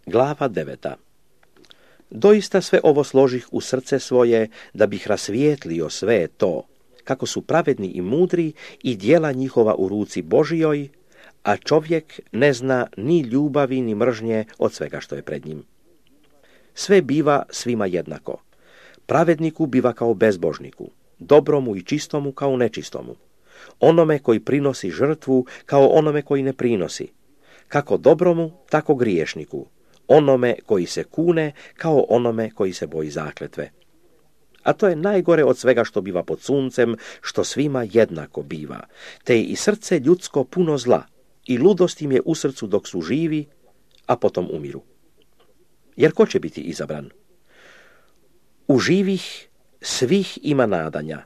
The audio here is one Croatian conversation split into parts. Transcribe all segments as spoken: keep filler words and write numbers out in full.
Glava deveta. Doista sve ovo složih u srce svoje, da bih rasvijetlio sve to, kako su pravedni i mudri i djela njihova u ruci Božijoj, a čovjek ne zna ni ljubavi ni mržnje od svega što je pred njim. Sve biva svima jednako. Pravedniku biva kao bezbožniku, dobromu i čistomu kao nečistomu, onome koji prinosi žrtvu kao onome koji ne prinosi, kako dobromu, tako griješniku, onome koji se kune kao onome koji se boji zakletve. A to je najgore od svega što biva pod suncem, što svima jednako biva, te je i srce ljudsko puno zla, i ludost im je u srcu dok su živi, a potom umiru. Jer ko će biti izabran? U živih svih ima nadanja,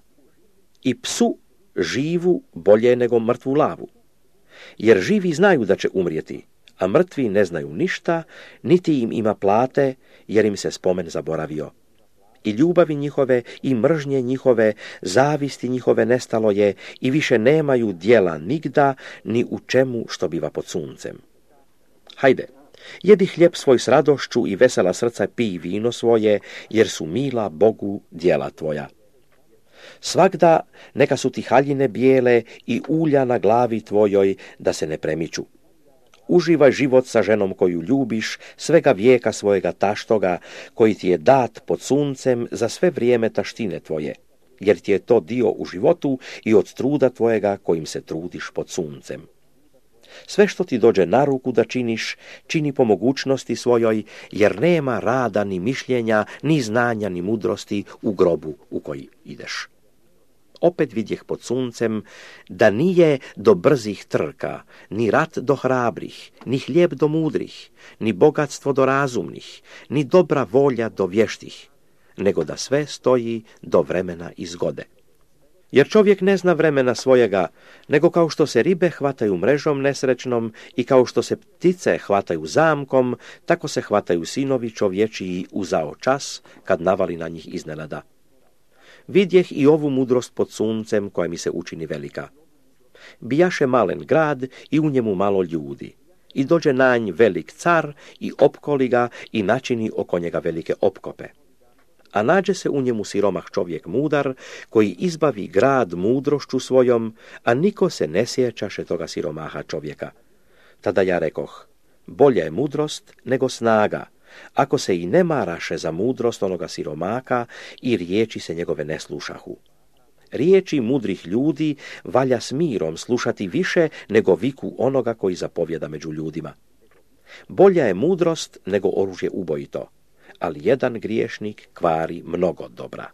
i psu živu bolje nego mrtvu lavu. Jer živi znaju da će umrijeti, a mrtvi ne znaju ništa, niti im ima plate, jer im se spomen zaboravio. I ljubavi njihove, i mržnje njihove, zavisti njihove nestalo je, i više nemaju djela nigda, ni u čemu što biva pod suncem. Hajde, jedi hljeb svoj s radošću i vesela srca pij vino svoje, jer su mila Bogu djela tvoja. Svagda neka su ti haljine bijele i ulja na glavi tvojoj, da se ne premiču. Uživaj život sa ženom koju ljubiš, svega vijeka svojega taštoga, koji ti je dat pod suncem za sve vrijeme taštine tvoje, jer ti je to dio u životu i od truda tvojega kojim se trudiš pod suncem. Sve što ti dođe na ruku da činiš, čini po mogućnosti svojoj, jer nema rada ni mišljenja, ni znanja, ni mudrosti u grobu u koji ideš. Opet vidjeh pod suncem da nije do brzih trka, ni rat do hrabrih, ni hljeb do mudrih, ni bogatstvo do razumnih, ni dobra volja do vještih, nego da sve stoji do vremena i zgode. Jer čovjek ne zna vremena svojega, nego kao što se ribe hvataju mrežom nesrećnom i kao što se ptice hvataju zamkom, tako se hvataju sinovi čovječiji uzao čas kad navali na njih iznenada. Vidjeh i ovu mudrost pod suncem koja mi se učini velika. Bijaše malen grad i u njemu malo ljudi. I dođe na nj velik car i opkoli ga i načini oko njega velike opkope. A nađe se u njemu siromah čovjek mudar, koji izbavi grad mudrošću svojom, a niko se ne sjećaše toga siromaha čovjeka. Tada ja rekoh, bolja je mudrost nego snaga, ako se i ne maraše za mudrost onoga siromaka i riječi se njegove ne slušahu. Riječi mudrih ljudi valja s mirom slušati više nego viku onoga koji zapovjeda među ljudima. Bolja je mudrost nego oružje ubojito, ali jedan griješnik kvari mnogo dobra.